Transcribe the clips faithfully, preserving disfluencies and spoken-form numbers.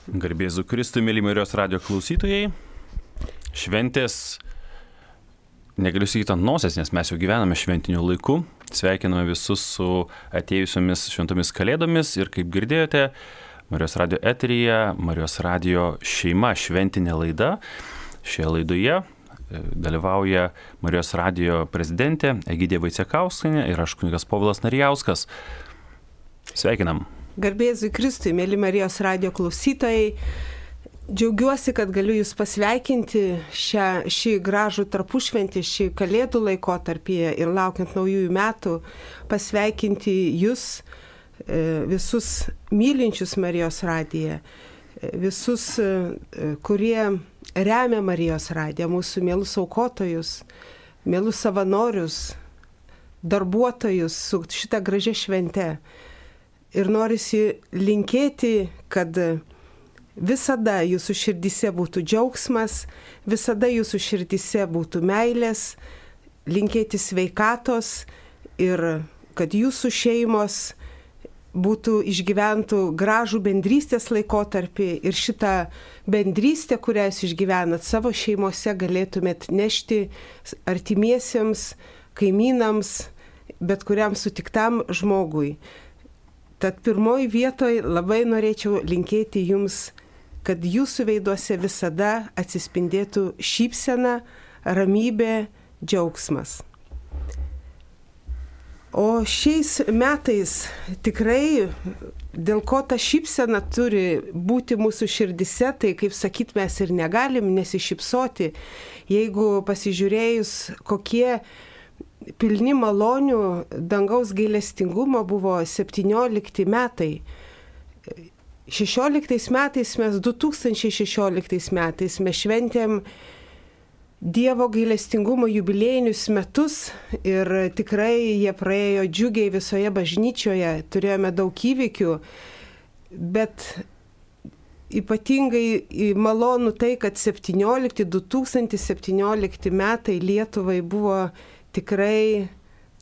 Garbė Jėzui Kristui, mėly Marijos radijo klausytojai. Šventės, negaliu sakyti ant nosies, nes mes jau gyvename šventiniu laiku. Sveikiname visus su atėjusiomis šventomis kalėdomis ir kaip girdėjote, Marijos radijo eteryje, Marijos radijo šeima šventinė laida. Šioje laidoje dalyvauja Marijos radijo prezidentė Egidija Vaicekauskienė ir aš kunigas Povilas Narijauskas. Sveikinam. Garbė Jėzui Kristui, mėly Marijos radijo klausytojai, džiaugiuosi, kad galiu Jūs pasveikinti šią, šį gražų tarpušventį, šį kalėdų laikotarpį ir laukiant naujųjų metų, pasveikinti Jūs, visus mylinčius Marijos radiją, visus, kurie remia Marijos radiją, mūsų mielus aukotojus, mielus savanorius, darbuotojus su šitą gražią šventę. Ir norisi linkėti, kad visada jūsų širdyse būtų džiaugsmas, visada jūsų širdyse būtų meilės, linkėti sveikatos ir kad jūsų šeimos būtų išgyventų gražų bendrystės laikotarpį ir šitą bendrystę, kurią jūs išgyvenat savo šeimose, galėtumėt nešti artimiesiems, kaimynams, bet kuriam sutiktam žmogui. Tad pirmoji vietoje labai norėčiau linkėti Jums, kad Jūsų veiduose visada atsispindėtų šypsena, ramybė, džiaugsmas. O šiais metais tikrai, dėl ko ta šypsena turi būti mūsų širdise, tai kaip sakyt, mes ir negalim nesišypsoti, jeigu pasižiūrėjus, kokie pilni malonių dangaus gailestingumo buvo septyniolikti metai. šešioliktais metais mes, du tūkstančiai šešioliktais metais mes šventėm Dievo gailestingumo jubiliejinius metus ir tikrai jie praėjo džiugiai visoje bažnyčioje, turėjome daug įvykių, bet ypatingai malonu tai, kad septyniolikti, du tūkstančiai septyniolikti metai Lietuvai buvo tikrai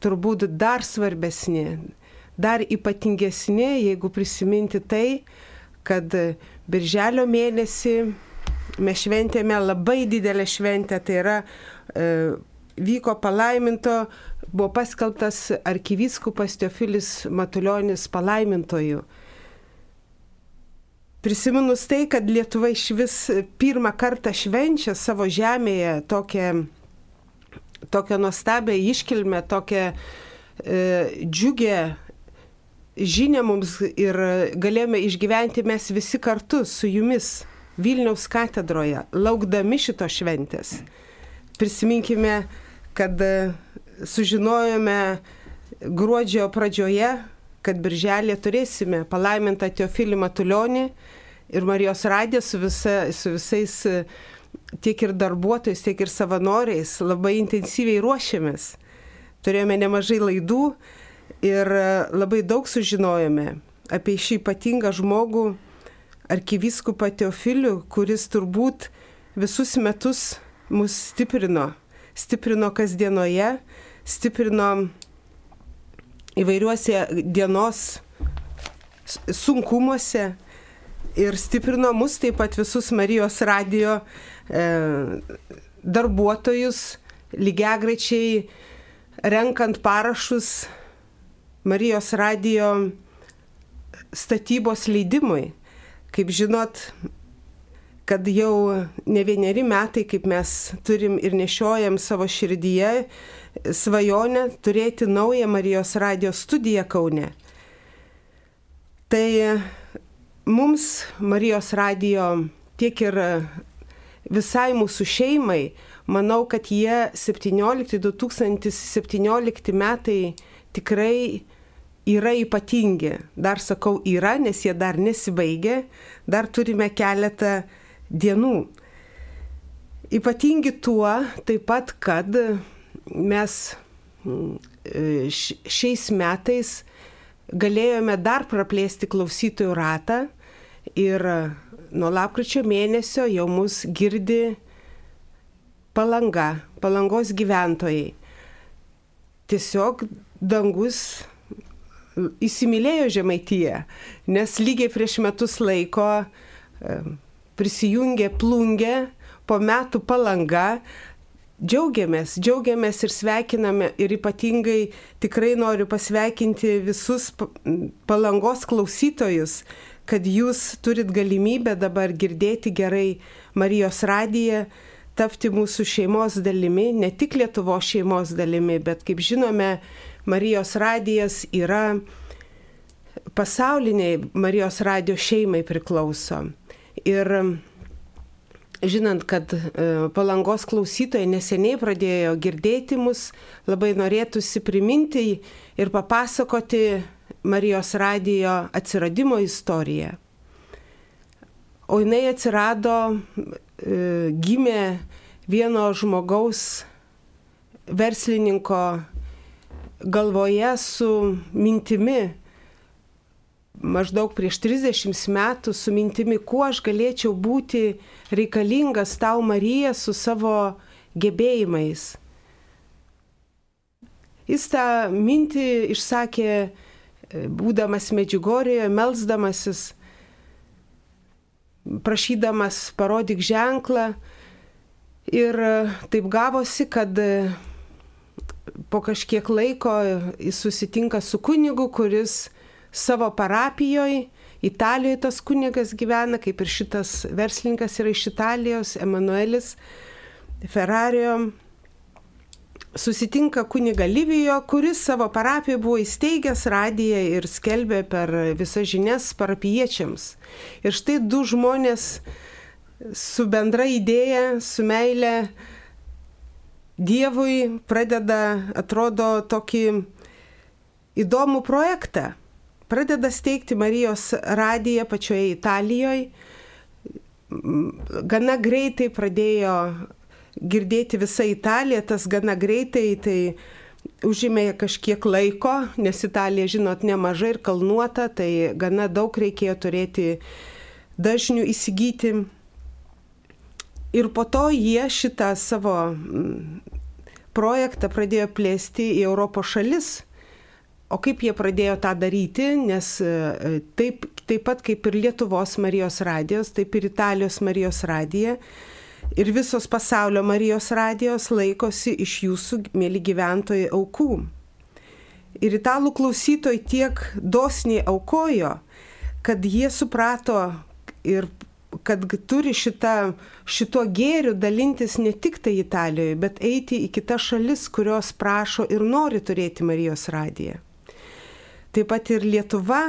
turbūt dar svarbesni, dar ypatingesni, jeigu prisiminti tai, kad birželio mėnesį mes šventėme labai didelę šventę, tai yra e, vyko palaiminto, buvo paskelbtas arkivyskupas Teofilis Matulionis palaimintoju. Prisiminus tai, kad Lietuva iš vis pirmą kartą švenčia savo žemėje tokią tokią nuostabią iškilmę, tokią e, džiugę žinią mums ir galėjome išgyventi mes visi kartu su Jumis Vilniaus katedroje, laukdami šito šventės. Prisiminkime, kad sužinojome gruodžio pradžioje, kad birželį turėsime palaimintą Teofilį Matulionį ir Marijos radiją su, visa, su visais tiek ir darbuotojais, tiek ir savanoriais labai intensyviai ruošėmės. Turėjome nemažai laidų ir labai daug sužinojome apie šį ypatingą žmogų, arkivyskupą Teofilių, kuris turbūt visus metus mus stiprino. Stiprino kasdienoje, stiprino įvairiuose dienos sunkumuose ir stiprino mus taip pat visus Marijos radijo darbuotojus, lygiagrečiai renkant parašus Marijos radijo statybos leidimui. Kaip žinot, kad jau ne vieneri metai, kaip mes turim ir nešiojam savo širdyje svajonę turėti naują Marijos radijo studiją Kaune. Tai mums Marijos radijo tiek ir visai mūsų šeimai, manau, kad jie septyniolikti, du tūkstančiai septyniolikti metai tikrai yra ypatingi. Dar sakau yra, nes jie dar nesibaigė, dar turime keletą dienų. Ypatingi tuo taip pat, kad mes šiais metais galėjome dar praplėsti klausytojų ratą ir nuo lapkričio mėnesio jau mus girdi Palanga, Palangos gyventojai. Tiesiog dangus įsimylėjo Žemaitiją, nes lygiai prieš metus laiko prisijungė Plungė, po metų Palanga. Džiaugiamės, džiaugiamės ir sveikiname ir ypatingai tikrai noriu pasveikinti visus Palangos klausytojus, kad jūs turit galimybę dabar girdėti gerai Marijos radiją, tapti mūsų šeimos dalimi, ne tik Lietuvos šeimos dalimi, bet kaip žinome, Marijos radijas yra pasauliniai Marijos radijo šeimai priklauso. Ir žinant, kad Palangos klausytojai neseniai pradėjo girdėti mus, labai norėtųsi priminti ir papasakoti Marijos radijo atsiradimo istoriją. O jinai atsirado, gimė vieno žmogaus verslininko galvoje su mintimi, maždaug prieš trisdešimt metų su mintimi, kuo aš galėčiau būti reikalingas tau, Marija, su savo gebėjimais. Jis tą mintį išsakė, būdamas Medžiugorėje, melsdamasis, prašydamas parodyk ženklą. Ir taip gavosi, kad po kažkiek laiko jis susitinka su kunigu, kuris savo parapijoje, Italijoje tas kunigas gyvena, kaip ir šitas verslininkas yra iš Italijos, Emanuelis Ferrario, susitinka kuniga Livijo, kuris savo parapijoje buvo įsteigęs radiją ir skelbė per visas žinias parapiečiams. Ir štai du žmonės su bendra idėja, su meile Dievui pradeda, atrodo, tokį įdomų projektą. Pradeda steigti Marijos radiją pačioje Italijoje. Gana greitai pradėjo girdėti visą Italiją, tas gana greitai tai užėmė kažkiek laiko, nes Italija, žinot, nemažai ir kalnuota, tai gana daug reikėjo turėti dažnių įsigyti. Ir po to jie šitą savo projektą pradėjo plėsti į Europos šalis. O kaip jie pradėjo tą daryti, nes taip, taip pat kaip ir Lietuvos Marijos radijos, taip ir Italijos Marijos radija ir visos pasaulio Marijos radijos laikosi iš jūsų, mėly gyventojai, aukų. Ir italų klausytojai tiek dosniai aukojo, kad jie suprato ir kad turi šitą, šituo gėriu dalintis ne tik tai Italijoje, bet eiti į kitas šalis, kurios prašo ir nori turėti Marijos radiją. Taip pat ir Lietuva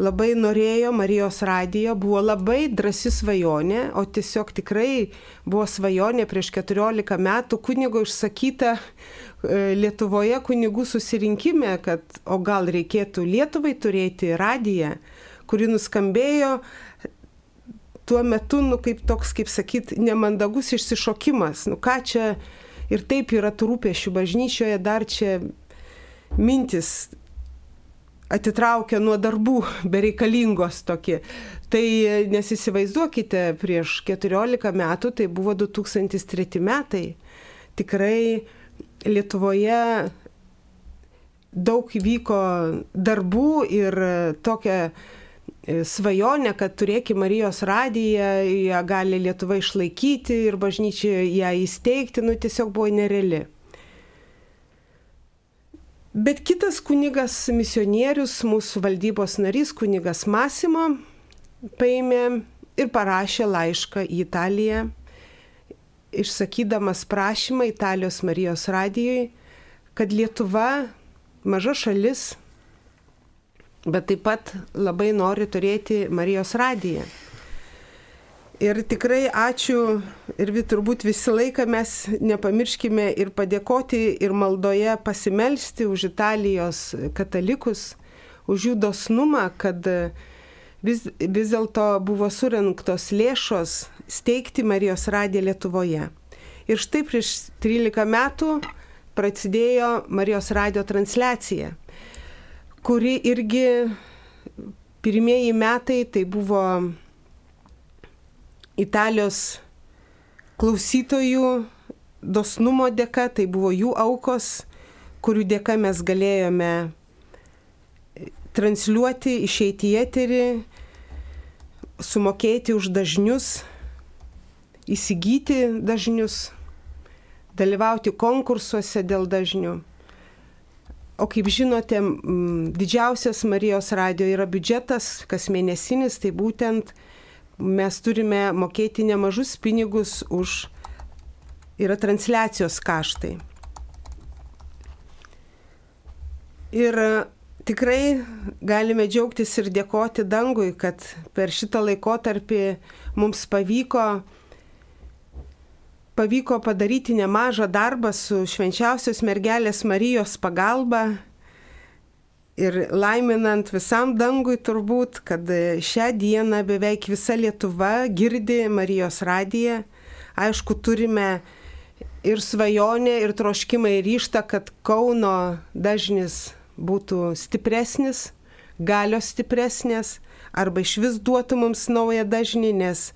labai norėjo Marijos radijo, buvo labai drąsi svajonė, o tiesiog tikrai buvo svajonė prieš keturiolika metų kunigo išsakyta Lietuvoje kunigų susirinkime, kad o gal reikėtų Lietuvai turėti radiją, kuri nuskambėjo tuo metu, nu, kaip toks, kaip sakyt, nemandagus išsišokimas. Nu, ką čia ir taip yra tų rūpesčių bažnyčioje, dar čia mintis atitraukia nuo darbų bereikalingos tokie. Tai nesįsivaizduokite, prieš keturiolika metų, tai buvo du tūkstančiai treti metai. Tikrai Lietuvoje daug vyko darbų ir tokia svajonė, kad turėkime Marijos radiją, ją gali Lietuva išlaikyti ir bažnyčioje ją įsteigti, nu tiesiog buvo nereali. Bet kitas kunigas misionierius, mūsų valdybos narys, kunigas Masimo, paėmė ir parašė laišką į Italiją, išsakydamas prašymą Italijos Marijos radijai, kad Lietuva, maža šalis, bet taip pat labai nori turėti Marijos radiją. Ir tikrai ačiū ir turbūt visą laiką mes nepamirškime ir padėkoti ir maldoje pasimelsti už Italijos katalikus, už jų dosnumą, kad vis, vis dėlto buvo surinktos lėšos steigti Marijos radiją Lietuvoje. Ir štai prieš trylika metų prasidėjo Marijos radijo transliacija, kuri irgi pirmieji metai tai buvo Italijos klausytojų dosnumo dėka, tai buvo jų aukos, kurių dėka mes galėjome transliuoti, išeiti į eterį, sumokėti už dažnius, įsigyti dažnius, dalyvauti konkursuose dėl dažnių. O kaip žinote, didžiausias Marijos radijo yra biudžetas, kas mėnesinis, tai būtent mes turime mokėti nemažus pinigus už yra transliacijos kaštai. Ir tikrai galime džiaugtis ir dėkoti dangui, kad per šitą laikotarpį mums pavyko pavyko padaryti nemažą darbą su švenčiausios mergelės Marijos pagalba ir laiminant visam dangui turbūt, kad šią dieną beveik visa Lietuva girdi Marijos radiją. Aišku, turime ir svajonę, ir troškimą, ir ryžtą, kad Kauno dažnis būtų stipresnis, galios stipresnės, arba iš vis duotų mums naują dažnį, nes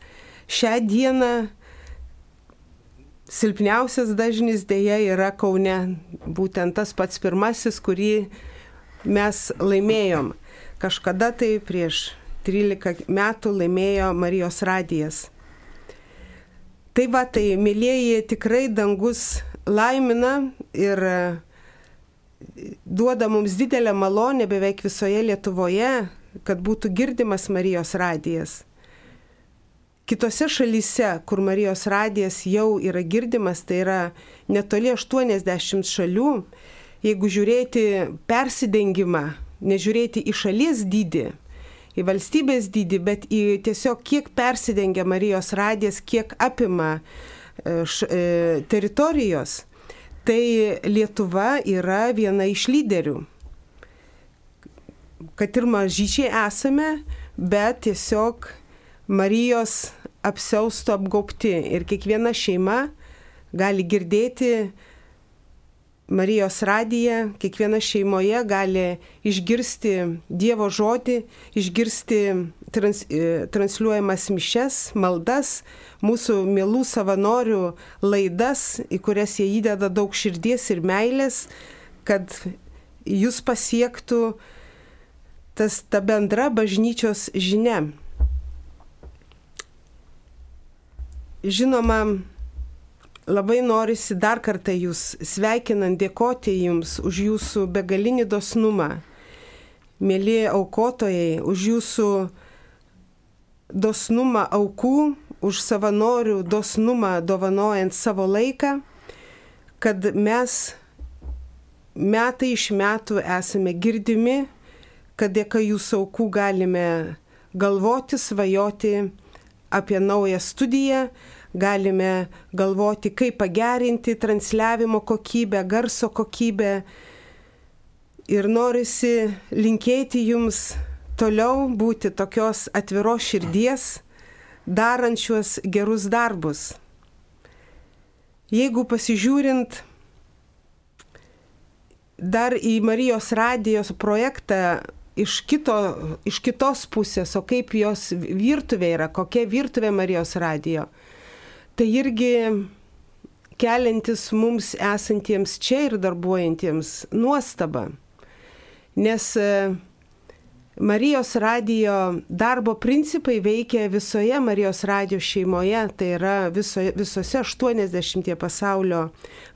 šią dieną silpniausias dažnis dėja yra Kaune, būtent tas pats pirmasis, kurį mes laimėjom. Kažkada tai prieš trylika metų laimėjo Marijos radijas. Tai va, tai mylėjai, tikrai dangus laimina ir duoda mums didelę malonę beveik visoje Lietuvoje, kad būtų girdimas Marijos radijas. Kitose šalyse, kur Marijos radijas jau yra girdimas, tai yra netoli aštuoniasdešimt šalių, jeigu žiūrėti persidengimą, nežiūrėti į šalies dydį, į valstybės dydį, bet į tiesiog kiek persidengia Marijos radijas, kiek apima š, e, teritorijos, tai Lietuva yra viena iš lyderių. Kad ir mažyčiai esame, bet tiesiog Marijos apsiausto apgaubti ir kiekviena šeima gali girdėti Marijos radiją, kiekviena šeimoje gali išgirsti Dievo žodį, išgirsti trans, transliuojamas mišes, maldas, mūsų mielų savanorių laidas, į kurias jie įdeda daug širdies ir meilės, kad jūs pasiektų tas, ta bendra bažnyčios žinia. Žinoma, labai norisi dar kartą jūs sveikinant, dėkoti jums už jūsų begalinį dosnumą, mėly aukotojai, už jūsų dosnumą aukų, už savanorių dosnumą dovanojant savo laiką, kad mes metai iš metų esame girdimi, kad dėka jūsų aukų galime galvoti, svajoti apie naują studiją, galime galvoti, kaip pagerinti transliavimo kokybę, garso kokybę. Ir norisi linkėti jums toliau būti tokios atviros širdies, darančios gerus darbus. Jeigu pasižiūrint dar į Marijos radijos projektą iš, kito, iš kitos pusės, o kaip jos virtuvė yra, kokia virtuvė Marijos radijo, tai irgi keliantis mums esantiems čia ir darbuojantiems nuostaba. Nes Marijos radijo darbo principai veikia visoje Marijos radijo šeimoje, tai yra viso, visose aštuoniasdešimtie pasaulio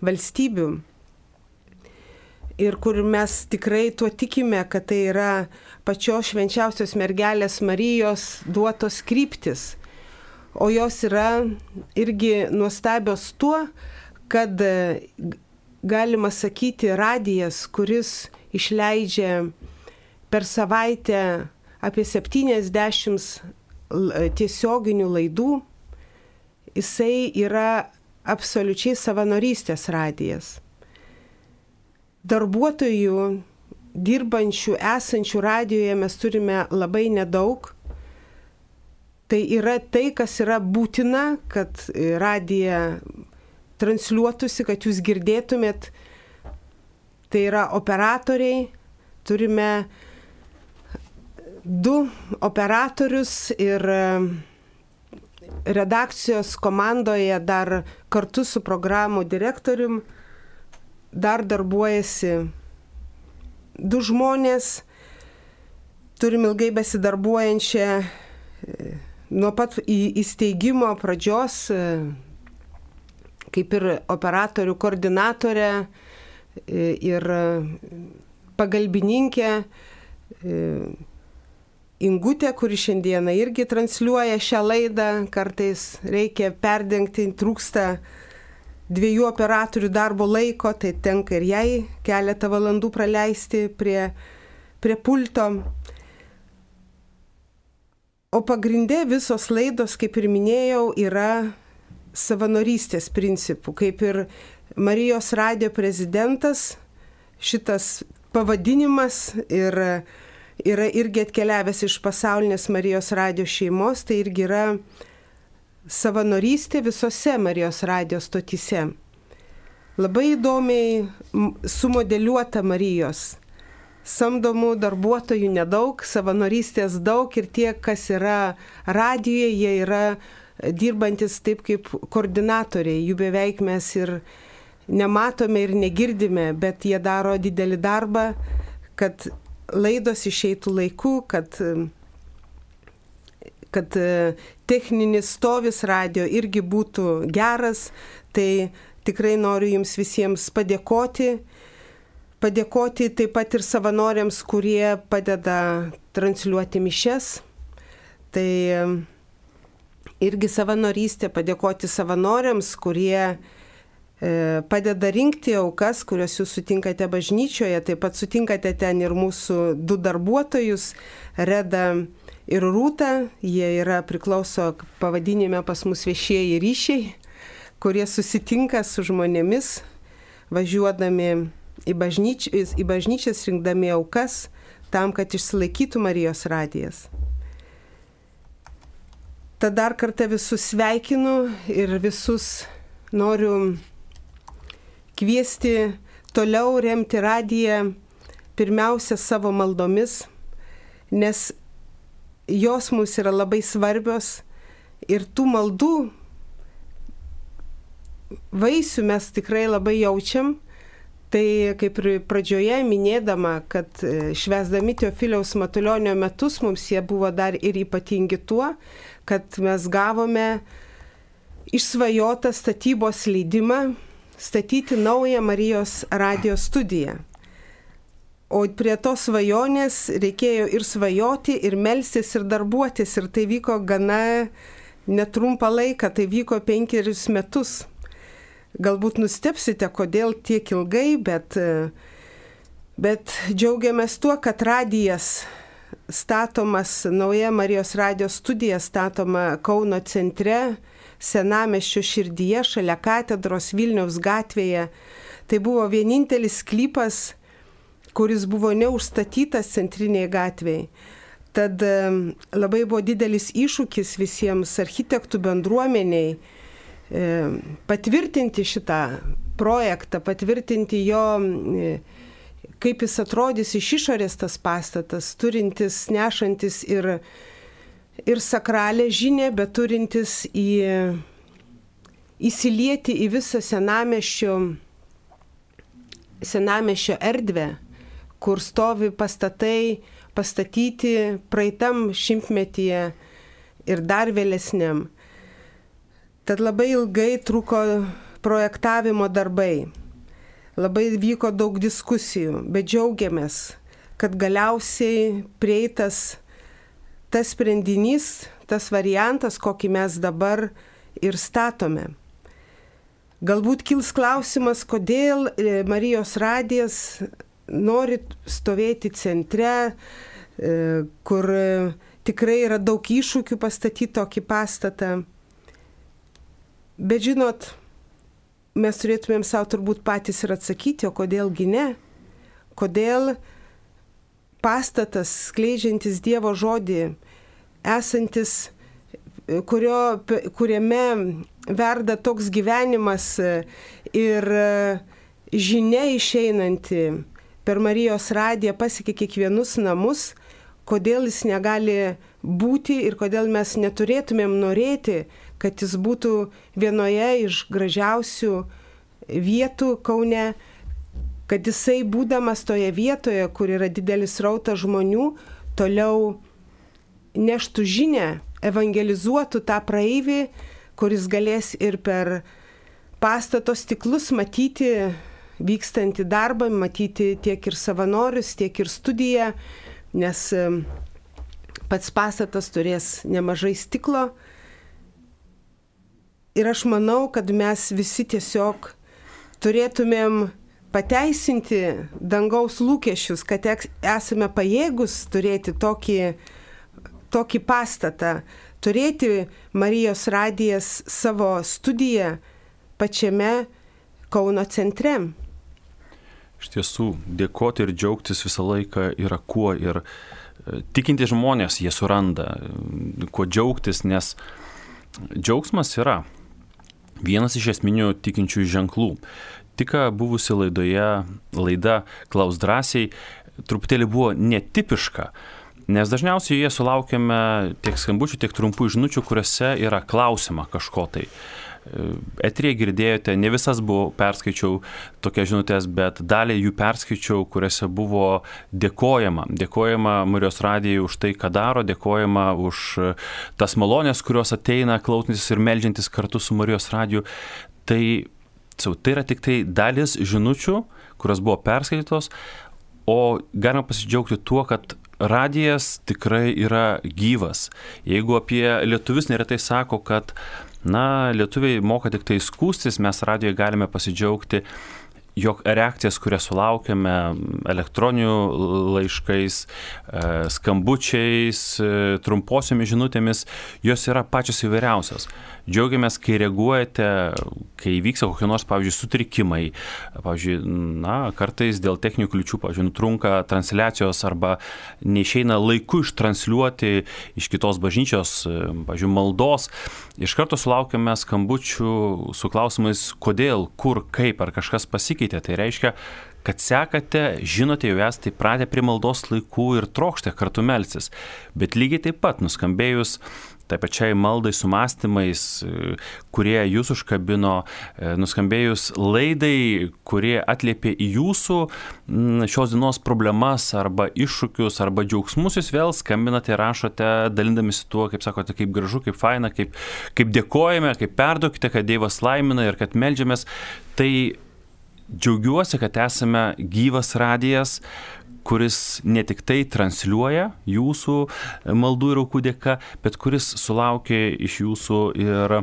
valstybių. Ir kur mes tikrai tuo tikime, kad tai yra pačios švenčiausios mergelės Marijos duotos kryptis. O jos yra irgi nuostabios tuo, kad galima sakyti radijas, kuris išleidžia per savaitę apie septyniasdešimt tiesioginių laidų, jisai yra absoliučiai savanorystės radijas. Darbuotojų, dirbančių, esančių radijoje mes turime labai nedaug. Tai yra tai, kas yra būtina, kad radija transliuotųsi, kad jūs girdėtumėt. Tai yra operatoriai. Turime du operatorius ir redakcijos komandoje dar kartu su programų direktorium dar darbuojasi du žmonės. Turim ilgai besidarbuojančią nuo pat įsteigimo pradžios, kaip ir operatorių koordinatorė ir pagalbininkė Ingutė, kuri šiandieną irgi transliuoja šią laidą, kartais reikia perdengti, trūksta dviejų operatorių darbo laiko, tai tenka ir jai keletą valandų praleisti prie, prie pulto. O pagrindė visos laidos, kaip ir minėjau, yra savanorystės principų. Kaip ir Marijos radijo prezidentas, šitas pavadinimas ir yra irgi atkeliavęs iš pasaulinės Marijos radijo šeimos, tai irgi yra savanorystė visose Marijos radijo stotyse. Labai įdomiai sumodeliuota Marijos. Samdomų darbuotojų nedaug, savanorystės daug ir tie, kas yra radijoje, jie yra dirbantis taip kaip koordinatoriai. Jų beveik mes ir nematome ir negirdime, bet jie daro didelį darbą, kad laidos išeitų laiku, kad, kad techninis stovis radio irgi būtų geras. Tai tikrai noriu jums visiems padėkoti. Padėkoti taip pat ir savanoriams, kurie padeda transliuoti mišias. Tai irgi savanorystė, padėkoti savanoriams, kurie padeda rinkti aukas, kurios jūs sutinkate bažnyčioje, taip pat sutinkate ten ir mūsų du darbuotojus, Reda ir Rūta, jie yra priklauso pavadinime pas mus viešieji ryšiai, kurie susitinka su žmonėmis, važiuodami į, bažnyč, į bažnyčias, rinkdami aukas, tam, kad išsilaikytų Marijos radijas. Tad dar kartą visus sveikinu ir visus noriu kviesti toliau remti radiją pirmiausia savo maldomis, nes jos mums yra labai svarbios ir tų maldų vaisių mes tikrai labai jaučiam. Tai kaip ir pradžioje minėdama, kad švęsdami Teofiliaus Matulionio metus mums jie buvo dar ir ypatingi tuo, kad mes gavome išsvajotą statybos leidimą statyti naują Marijos radijo studiją. O prie tos svajonės reikėjo ir svajoti, ir melstis, ir darbuotis. Ir tai vyko gana netrumpą laiką, tai vyko penkerius metus. Galbūt nustebsite, kodėl tiek ilgai, bet, bet džiaugiamės tuo, kad radijas statomas, nauja Marijos radijo studija statoma Kauno centre, Senamiesčio širdyje, šalia katedros Vilniaus gatvėje. Tai buvo vienintelis sklypas, kuris buvo neužstatytas centrinėje gatvėje. Tad labai buvo didelis iššūkis visiems architektų bendruomeniai patvirtinti šitą projektą, patvirtinti jo, kaip jis atrodys iš išorės tas pastatas, turintis, nešantis ir ir sakralę žinią, bet turintis į, įsilieti į visą senamiesčio, senamiesčio erdvę, kur stovi pastatai pastatyti praeitam šimtmetyje ir dar vėlesniam. Tad labai ilgai truko projektavimo darbai, labai vyko daug diskusijų, bet džiaugiamės, kad galiausiai prieitas tas sprendinys, tas variantas, kokį mes dabar ir statome. Galbūt kils klausimas, kodėl Marijos radijas nori stovėti centre, kur tikrai yra daug iššūkių pastatyti tokį pastatą. Bet žinot, mes turėtumėm savo turbūt patys ir atsakyti, o kodėlgi ne? Kodėl pastatas, skleidžiantis Dievo žodį, esantis, kurio, kuriame verda toks gyvenimas ir žinia išeinanti per Marijos radiją pasiekia kiekvienus namus, kodėl jis negali būti ir kodėl mes neturėtumėm norėti, kad jis būtų vienoje iš gražiausių vietų Kaune, kad jisai būdamas toje vietoje, kur yra didelis srautas žmonių, toliau neštų žinę evangelizuotų tą praeivį, kuris galės ir per pastato stiklus matyti vykstantį darbą, matyti tiek ir savanorius, tiek ir studiją, nes pats pastatas turės nemažai stiklo. Ir aš manau, kad mes visi tiesiog turėtumėm pateisinti dangaus lūkesčius, kad esame pajėgus turėti tokį, tokį pastatą, turėti Marijos radijas savo studiją pačiame Kauno centre. Iš tiesų, dėkoti ir džiaugtis visą laiką yra kuo, ir tikinti žmonės jie suranda, kuo džiaugtis, nes džiaugsmas yra vienas iš esminių tikinčiųjų ženklų. Tik buvusi laidoje, laida Klaus drąsiai, truputėlį buvo netipiška, nes dažniausiai jie sulaukiame tiek skambučių, tiek trumpų žinučių, kuriuose yra klausima kažko tai. Eteryje girdėjote, ne visas buvo, perskaičiau tokias žinutės, bet dalį jų perskaičiau, kuriuose buvo dėkojama. Dėkojama Marijos radijai už tai, ką daro, dėkojama už tas malonės, kurios ateina klausantis ir meldžiantis kartu su Marijos radiju. Tai, tai yra tik tai dalis žinučių, kurios buvo perskaitytos, o galima pasidžiaugti tuo, kad radijas tikrai yra gyvas. Jeigu apie lietuvius neretai sako, kad na, lietuviai moka tik tai skųstis, mes radijoje galime pasidžiaugti, jog reakcijas, kurias sulaukiame elektroninių laiškais, skambučiais, trumposiomis žinutėmis, jos yra pačios įvairiausios. Džiaugiamės, kai reaguojate, kai vyksta kokie nors, pavyzdžiui, sutrikimai. Pavyzdžiui, na, kartais dėl techninių kliūčių, pavyzdžiui, nutrunka transliacijos arba neišeina laiku ištransliuoti iš kitos bažnyčios, pavyzdžiui, maldos. Iš karto sulaukiame skambučių su klausimais, kodėl, kur, kaip, ar kažkas pasikeitė. Tai reiškia, kad sekate, žinote, jau esate pratę prie maldos laikų ir trokšte kartu melstis. Bet lygiai taip pat nuskambėjus tai pačiai maldai su mąstymais, kurie jūs užkabino, nuskambėjus laidai, kurie atliepė į jūsų šios dienos problemas arba iššūkius arba džiaugsmus, jūs vėl skambinate ir rašote, dalindamisi tuo, kaip sakote, kaip gražu, kaip faina, kaip, kaip dėkojame, kaip perduokite, kad Dievas laimina ir kad meldžiamės. Tai džiaugiuosi, kad esame gyvas radijas, kuris ne tik tai transliuoja jūsų maldų ir aukų dėka, bet kuris sulaukia iš jūsų ir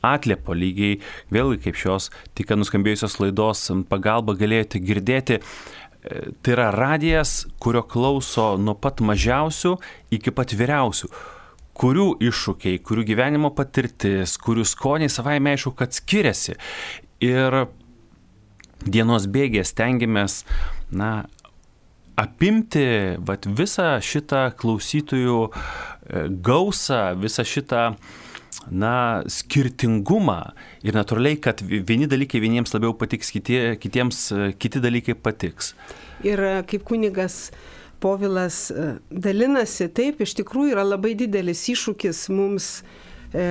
atliepo lygiai, vėlgi kaip šios tik nuskambėjusios laidos pagalba galėjote girdėti. Tai yra radijas, kurio klauso nuo pat mažiausių iki pat vyriausių, kurių iššūkiai, kurių gyvenimo patirtis, kurių skoniai savaime aišku, kad skiriasi. Ir dienos bėgės stengiamės, na, apimti vat, visą šitą klausytojų gausą, visą šitą na, skirtingumą ir natūraliai, kad vieni dalykai vieniems labiau patiks, kitie, kitiems kiti dalykai patiks. Ir kaip kunigas Povilas dalinasi, taip, iš tikrųjų yra labai didelis iššūkis mums e,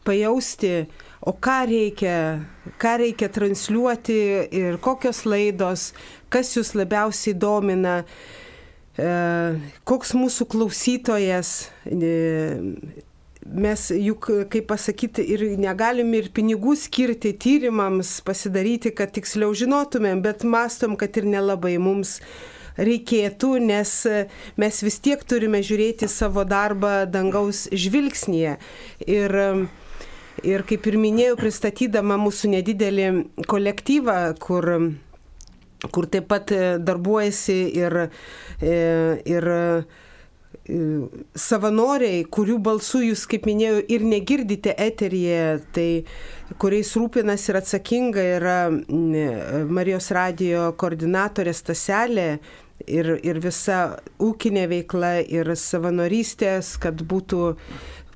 pajausti, o ką reikia, ką reikia transliuoti ir kokios laidos, kas jūs labiausiai domina, e, koks mūsų klausytojas. E, mes juk, kaip pasakyti, ir negalim ir pinigų skirti tyrimams, pasidaryti, kad tiksliau žinotumėm, bet mastom, kad ir nelabai mums reikėtų, nes mes vis tiek turime žiūrėti savo darbą dangaus žvilgsnyje. Ir Ir kaip ir minėjau, pristatydama mūsų nedidelį kolektyvą, kur, kur taip pat darbuojasi ir, ir savanoriai, kurių balsų jūs, kaip minėjau, ir negirdite eteryje, tai kuriais rūpinas ir atsakinga yra Marijos radijo koordinatorė Staselė ir, ir visa ūkinė veikla ir savanorystės, kad būtų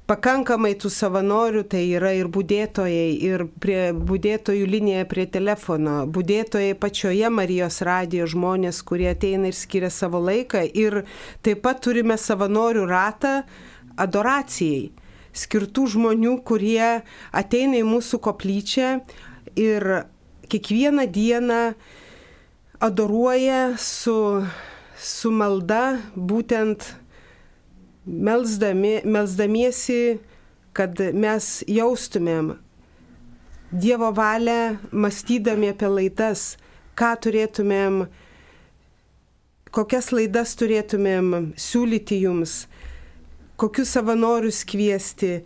pakankamai tų savanorių, tai yra ir budėtojai, ir prie budėtojų linija prie telefono, budėtojai pačioje Marijos radijo žmonės, kurie ateina ir skiria savo laiką, ir taip pat turime savanorių ratą adoracijai, skirtų žmonių, kurie ateina į mūsų koplyčią ir kiekvieną dieną adoruoja su, su malda būtent melsdami, melsdamiesi, kad mes jaustumėm Dievo valią, mąstydami apie laidas, ką turėtumėm, kokias laidas turėtumėm siūlyti jums, kokius savanorius kviesti.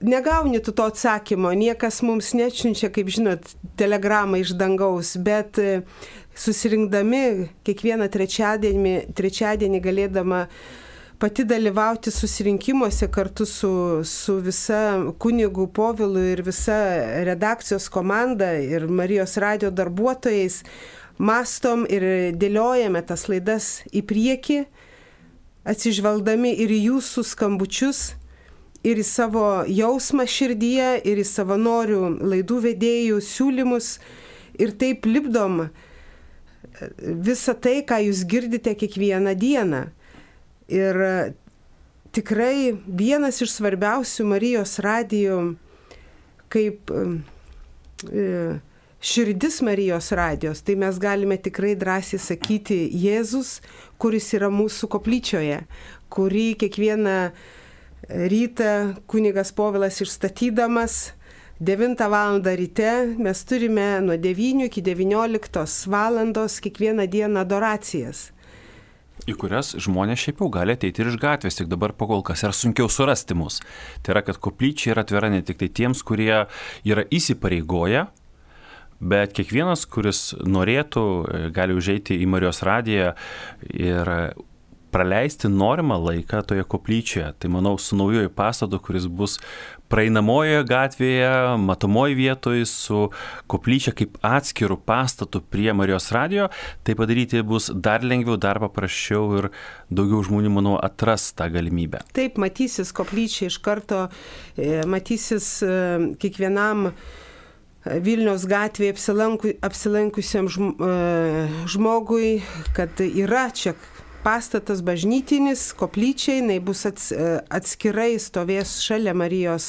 Negauni tu to atsakymo, niekas mums nečiunčia, kaip žinot, telegramą iš dangaus, bet susirinkdami kiekvieną trečiadienį, trečiadienį galėdama pati dalyvauti susirinkimuose kartu su, su visa kunigų Povilu ir visa redakcijos komanda ir Marijos radijo darbuotojais, mastom ir dėliojame tas laidas į priekį, atsižvelgdami ir į jūsų skambučius, ir į savo jausmą širdyje, ir į savanorių laidų vedėjų siūlymus, ir taip lipdom visą tai, ką jūs girdite kiekvieną dieną. Ir tikrai vienas iš svarbiausių Marijos radijo, kaip širdis Marijos radijos, tai mes galime tikrai drąsiai sakyti Jėzus, kuris yra mūsų koplyčioje, kurį kiekvieną rytą kunigas Povilas išstatydamas devintą valandą ryte mes turime nuo devynių iki devynioliktos valandos kiekvieną dieną adoracijas. Į kurias žmonės šiaip jau gali ateiti ir iš gatvės, tik dabar pakol kas yra sunkiau surasti mus. Tai yra, kad koplyčia yra atvira ne tik tai tiems, kurie yra įsipareigoję, bet kiekvienas, kuris norėtų, gali užeiti į Marijos radiją ir praleisti norimą laiką toje koplyčioje. Tai manau, su naujoju pastatu, kuris bus praeinamojoje gatvėje, matomoje vietoje, su koplyčia kaip atskiru pastatu prie Marijos radijo, tai padaryti bus dar lengviau, dar paprasčiau ir daugiau žmonių, manau, atras tą galimybę. Taip, matysis koplyčia iš karto, matysis kiekvienam Vilniaus gatvėje apsilankusiam žmogui, kad yra čia pastatas bažnytinis, koplyčiai, jinai bus atskirai stovės šalia Marijos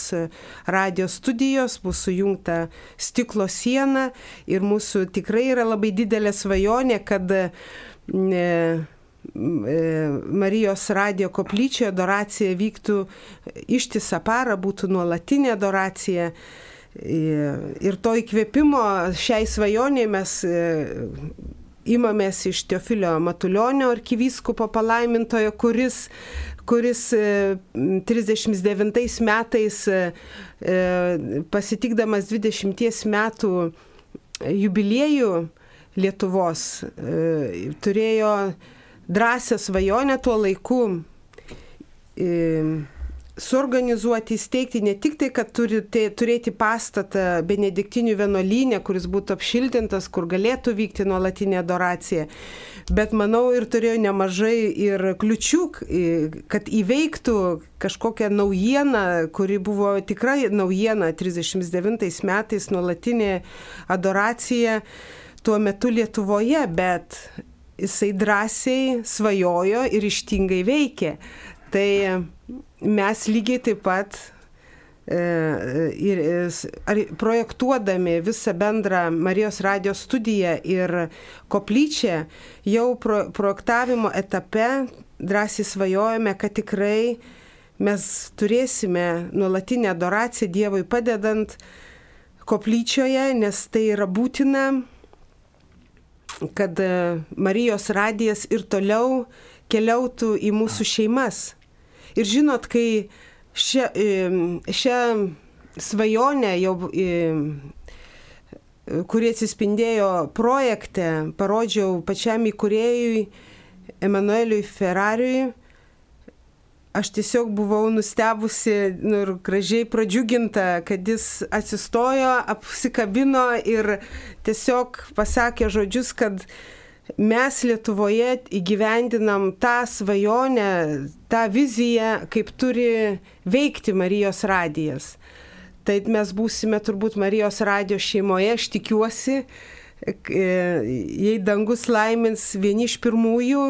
radijo studijos, bus sujungta stiklo siena ir mūsų tikrai yra labai didelė svajonė, kad Marijos radijo koplyčioje adoracija vyktų ištisą parą, būtų nuolatinė adoracija. Ir to įkvėpimo šiai svajonė mes imamės iš Teofilio Matulionio arkivyskupo palaimintojo, kuris, kuris trisdešimt devintais metais pasitikdamas dvidešimties metų jubiliejų Lietuvos turėjo drąsią svajonę tuo laiku suorganizuoti, įsteigti ne tik tai, kad turi turėti pastatą benediktinių vienuolyne, kuris būtų apšiltintas, kur galėtų vykti nuolatinė adoracija, bet manau ir turėjo nemažai ir kliučių, kad įveiktų kažkokią naujieną, kuri buvo tikrai naujiena trisdešimt devintais metais nuolatinė adoracija tuo metu Lietuvoje, bet jisai drąsiai svajojo ir ryžtingai veikė. Tai mes lygiai taip pat e, ir, ar, projektuodami visą bendrą Marijos radijo studiją ir koplyčią, jau pro, projektavimo etape drąsiai svajojame, kad tikrai mes turėsime nuolatinę adoraciją Dievui padedant koplyčioje, nes tai yra būtina, kad Marijos radijas ir toliau keliautų į mūsų šeimas. Ir žinot, kai šią, šią svajonę, jau, kuri atsispindėjo projekte, parodžiau pačiam įkūrėjui Emanueliui Ferrariui, aš tiesiog buvau nustebusi nu, ir gražiai pradžiuginta, kad jis atsistojo, apsikabino ir tiesiog pasakė žodžius, kad mes Lietuvoje įgyvendinam tą svajonę, tą viziją, kaip turi veikti Marijos radijas. Tai mes būsime turbūt Marijos radijo šeimoje, aš tikiuosi, jei dangus laimins vieni iš pirmųjų,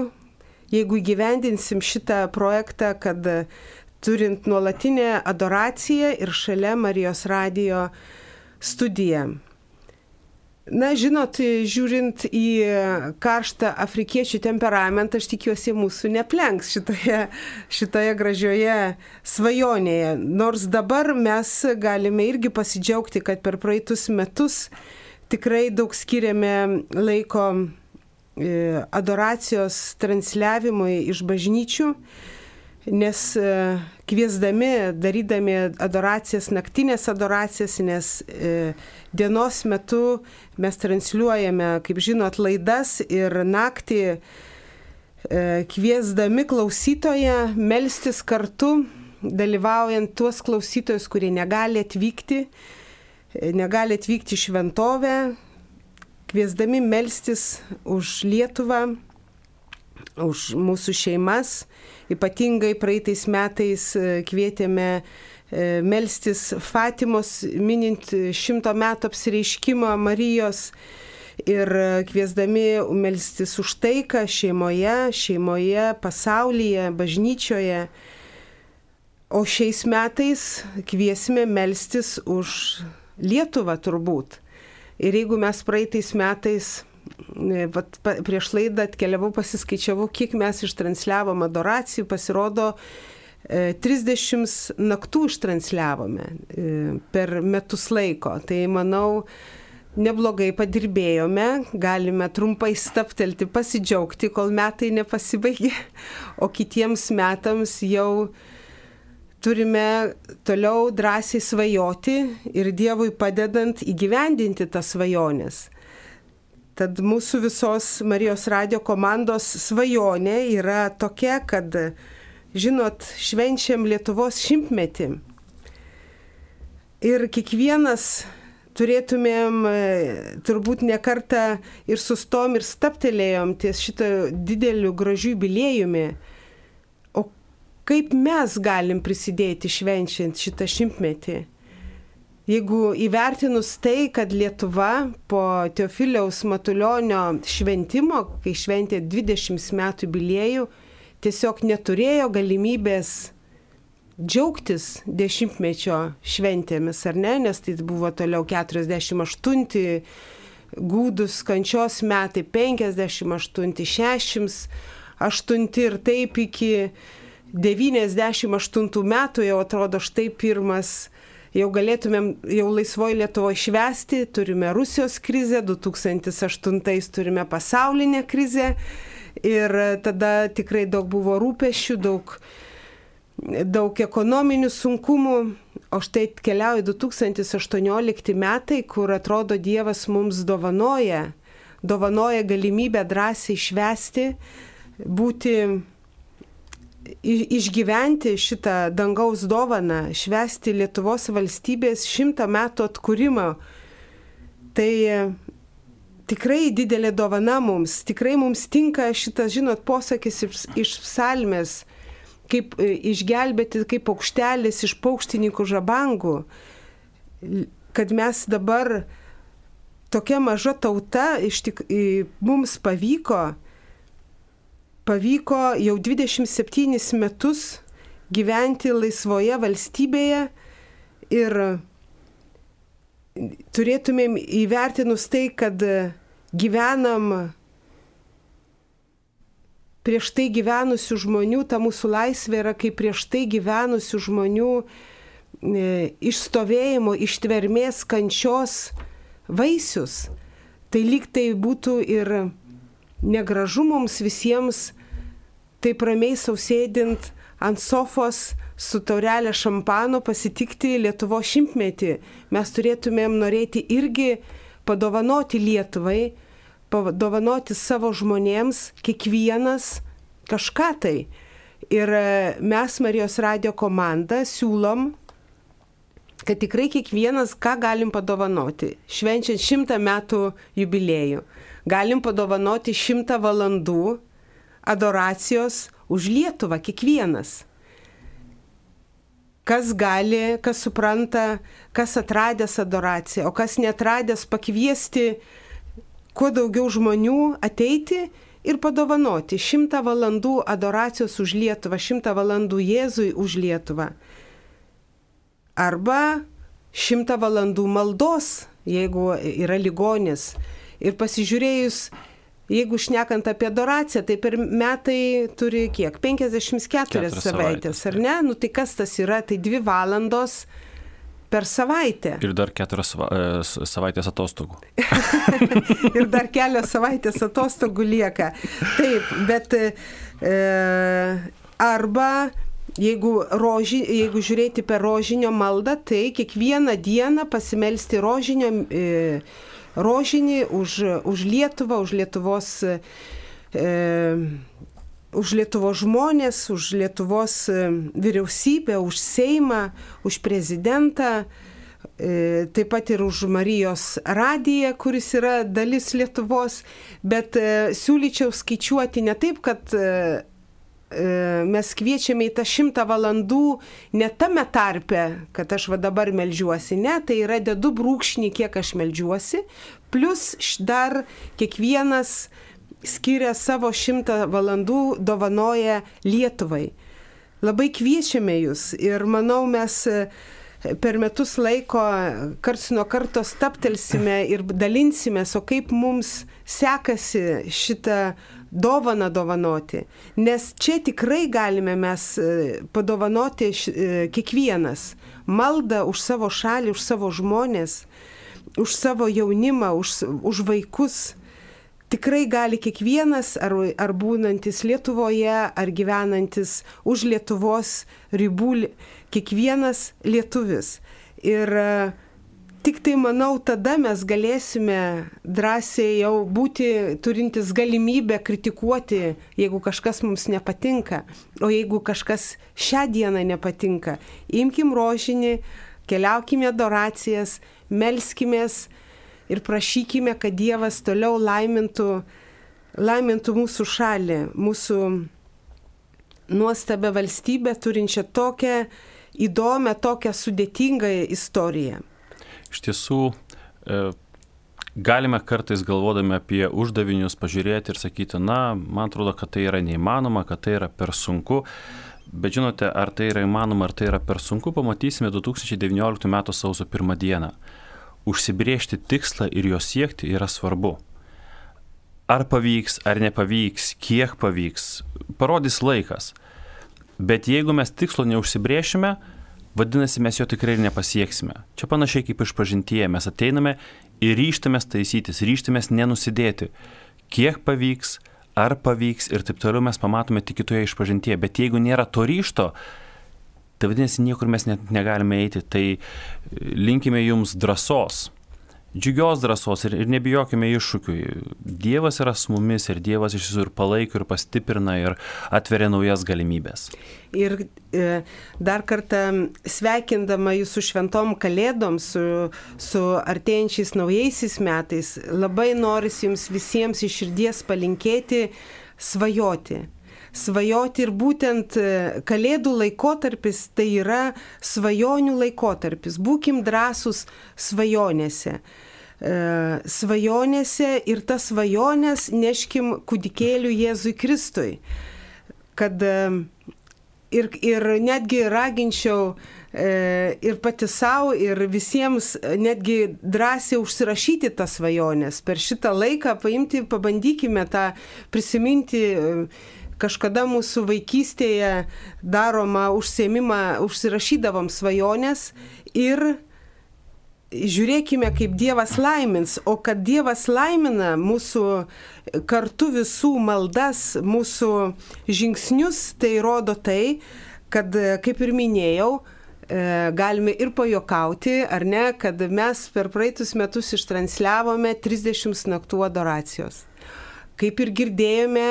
jeigu įgyvendinsim šitą projektą, kad turint nuolatinę adoraciją ir šalia Marijos radijo studiją. Na, žinot, žiūrint į karštą afrikiečių temperamentą, aš tikiuosi mūsų neplenks šitoje, šitoje gražioje svajonėje. Nors dabar mes galime irgi pasidžiaugti, kad per praeitus metus tikrai daug skiriame laiko adoracijos transliavimui iš bažnyčių, nes kviesdami, darydami adoracijas, naktinės adoracijas, nes dienos metu mes transliuojame, kaip žinot, laidas ir naktį kviesdami klausytoją melstis kartu, dalyvaujant tuos klausytojus, kurie negali atvykti, negali atvykti į šventovę, kviesdami melstis už Lietuvą, už mūsų šeimas. Ypatingai praeitais metais kvietėme melstis Fatimos, minint šimto metų apsireiškimo Marijos ir kviesdami melstis už taiką šeimoje, šeimoje, pasaulyje, bažnyčioje. O šiais metais kviesime melstis už Lietuvą turbūt. Ir jeigu mes praeitais metais Vat prieš laidą atkeliavau, pasiskaičiavau, kiek mes ištransliavom adoracijų, pasirodo trisdešimt naktų ištransliavome per metus laiko. Tai manau, neblogai padirbėjome, galime trumpai staptelti, pasidžiaugti, kol metai nepasibaigė, o kitiems metams jau turime toliau drąsiai svajoti ir Dievui padedant įgyvendinti tas svajones. Tad mūsų visos Marijos radijo komandos svajonė yra tokia, kad, žinot, švenčiam Lietuvos šimtmetį. Ir kiekvienas turėtumėm turbūt ne kartą ir sustom ir staptelėjom ties šito dideliu gražiu jubiliejumi. O kaip mes galim prisidėti švenčiant šitą šimtmetį? Jeigu įvertinus tai, kad Lietuva po Teofiliaus Matulionio šventimo, kai šventė dvidešimt metų jubiliejų, tiesiog neturėjo galimybės džiaugtis dešimtmečio šventėmis, ar ne? Nes tai buvo toliau keturiasdešimt aštunti gūdus kančios metai, penkiasdešimt aštunti, šešiasdešimt aštunti ir taip iki devyniasdešimt aštuntų metų jau atrodo štai pirmas. Jau galėtumėm jau laisvoje Lietuvoje švęsti, turime Rusijos krizę, du tūkstančiai aštuntais turime pasaulinę krizę ir tada tikrai daug buvo rūpesčių, daug, daug ekonominių sunkumų, o štai keliauja du tūkstančiai aštuoniolikti metai, kur atrodo Dievas mums dovanoja, dovanoja galimybę drąsiai švęsti, būti išgyventi šitą dangaus dovaną, švęsti Lietuvos valstybės šimtą metų atkūrimo. Tai tikrai didelė dovana mums, tikrai mums tinka šitas, žinot, posakis iš psalmės, kaip išgelbėti kaip paukštelis iš paukštininkų žabangų, kad mes dabar tokia maža tauta, iš tik, mums pavyko Pavyko jau dvidešimt septynis metus gyventi laisvoje valstybėje ir turėtumėm įvertinus tai, kad gyvenam prieš tai gyvenusių žmonių, ta mūsų laisvė yra kaip prieš tai gyvenusių žmonių išstovėjimo, ištvermės, kančios vaisius. Tai lyg tai būtų ir negražu mums visiems taip ramiai sausėdint ant sofos su taurelė šampano pasitikti Lietuvos šimtmetį. Mes turėtumėm norėti irgi padovanoti Lietuvai, padovanoti savo žmonėms, kiekvienas kažką tai. Ir mes Marijos radijo komanda siūlom, kad tikrai kiekvienas ką galim padovanoti, švenčiant šimtą metų jubiliejų. Galim padovanoti šimtą valandų adoracijos už Lietuvą, kiekvienas. Kas gali, kas supranta, kas atradęs adoraciją, o kas netradęs pakviesti kuo daugiau žmonių ateiti ir padovanoti šimtą valandų adoracijos už Lietuvą, šimtą valandų Jėzui už Lietuvą. Arba šimtą valandų maldos, jeigu yra ligonis. Ir pasižiūrėjus, jeigu šnekant apie adoraciją, tai per metai turi kiek? penkiasdešimt keturias savaitės, ar ne? Nu tai kas tas yra? Tai dvi valandos per savaitę. Ir dar keturias savaitės atostogų. Ir dar kelios savaitės atostogų lieka. Taip, bet e, arba jeigu, roži, jeigu žiūrėti per rožinio maldą, tai kiekvieną dieną pasimelsti rožinio, e, rožinį už, už Lietuvą, už Lietuvos e, už Lietuvos žmonės, už Lietuvos vyriausybę, už Seimą, už prezidentą, taip pat ir už Marijos radiją, kuris yra dalis Lietuvos, bet siūlyčiau skaičiuoti ne taip, kad mes kviečiame į tą šimtą valandų ne tame tarpe, kad aš va dabar meldžiuosi, ne, tai yra dedu brūkšnį, kiek aš meldžiuosi, plus dar kiekvienas skiria savo šimtą valandų, dovanoja Lietuvai. Labai kviečiame jūs ir manau mes per metus laiko karts nuo karto staptelsime ir dalinsimės, o kaip mums sekasi šitą dovaną dovanoti. Nes čia tikrai galime mes padovanoti kiekvienas maldą už savo šalį, už savo žmonės, už savo jaunimą, už, už vaikus. Tikrai gali kiekvienas, ar, ar būnantis Lietuvoje, ar gyvenantis už Lietuvos ribų, kiekvienas lietuvis. Ir tik tai, manau, tada mes galėsime drąsiai jau būti turintis galimybę kritikuoti, jeigu kažkas mums nepatinka. O jeigu kažkas šią dieną nepatinka, imkim rožinį, keliaukime adoracijas, melskimės, ir prašykime, kad Dievas toliau laimintų, laimintų mūsų šalį, mūsų nuostabią valstybę, turinčią tokią įdomią, tokią sudėtingą istoriją. Iš tiesų, galime kartais galvodami apie uždavinius pažiūrėti ir sakyti, na, man atrodo, kad tai yra neįmanoma, kad tai yra per sunku. Bet žinote, ar tai yra įmanoma, ar tai yra per sunku, pamatysime du tūkstančiai devynioliktų metų sausio pirmą dieną. Užsibriežti tikslą ir jo siekti yra svarbu. Ar pavyks, ar nepavyks, kiek pavyks, parodys laikas. Bet jeigu mes tikslo neužsibrėšime, vadinasi, mes jo tikrai ir nepasieksime. Čia panašiai kaip išpažintyje, mes ateiname ir ryžtamės taisytis, ryžtamės nenusidėti. Kiek pavyks, ar pavyks ir taip toliau mes pamatome tik kitoje išpažintyje. Bet jeigu nėra to ryžto, tai vadinasi, niekur mes net negalime eiti, tai linkime jums drąsos, džiugios drąsos ir, ir nebijokime iššūkių. Dievas yra su mumis ir Dievas iš tiesų ir palaiko, ir pastiprina, ir atveria naujas galimybės. Ir e, dar kartą sveikindama jūsų šventom kalėdom, su, su artėjančiais naujaisiais metais, labai norisi jums visiems iš širdies palinkėti svajoti. Svajoti ir būtent kalėdų laikotarpis tai yra svajonių laikotarpis. Būkim drąsūs svajonėse. E, svajonėse ir tas svajonės neškim kūdikėlių Jėzui Kristui. Kad e, ir, ir netgi raginčiau e, ir pati savo, ir visiems netgi drąsiai užsirašyti tas svajonės. Per šitą laiką paimti, pabandykime tą prisiminti. E, Kažkada mūsų vaikystėje daroma užsiėmimą, užsirašydavom svajonės ir žiūrėkime, kaip Dievas laimins. O kad Dievas laimina mūsų kartu visų maldas, mūsų žingsnius, tai rodo tai, kad, kaip ir minėjau, galime ir pajokauti, ar ne, kad mes per praeitus metus ištransliavome trisdešimt naktų adoracijos. Kaip ir girdėjome,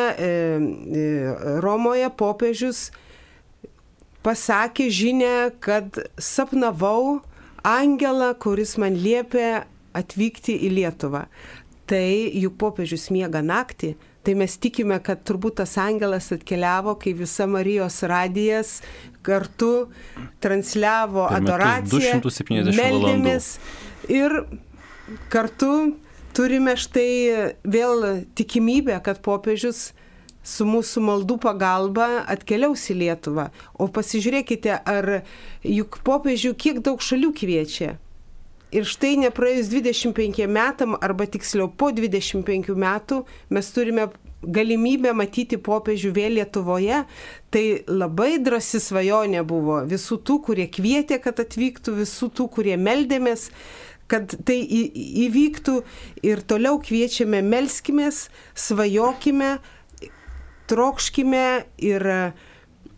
Romoje popiežius pasakė žinią, kad sapnavau angelą, kuris man liepė atvykti į Lietuvą. Tai juk popiežius miega naktį, tai mes tikime, kad turbūt tas angelas atkeliavo, kai visa Marijos radijas kartu transliavo adoraciją, meldėmės ir kartu turime štai vėl tikimybę, kad popiežius su mūsų maldų pagalba atkeliaus į Lietuvą. O pasižiūrėkite, ar juk popiežių kiek daug šalių kviečia. Ir štai nepraėjus dvidešimt penkiem metam, arba tiksliau po dvidešimt penkių metų, mes turime galimybę matyti popiežių vėl Lietuvoje. Tai labai drąsi svajonė buvo visų tų, kurie kvietė, kad atvyktų, visų tų, kurie meldėmės, kad tai įvyktų. Ir toliau kviečiame, melskimės, svajokime, trokškime ir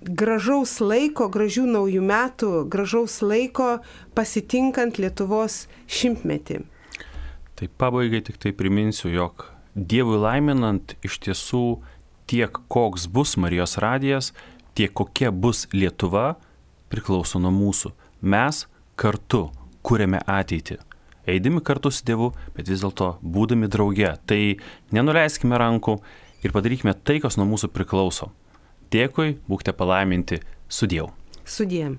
gražaus laiko, gražių naujų metų, gražaus laiko pasitinkant Lietuvos šimtmetį. Tai pabaigai tik tai priminsiu, jog Dievui laiminant iš tiesų tiek koks bus Marijos radijas, tiek kokia bus Lietuva priklauso nuo mūsų. Mes kartu kuriame ateitį. Eidami kartu su Dievu, bet vis dėlto būdami drauge. Tai nenuleiskime rankų ir padarykime tai, kas nuo mūsų priklauso. Dėkui, būkite palaiminti, sudiev. Sudiev.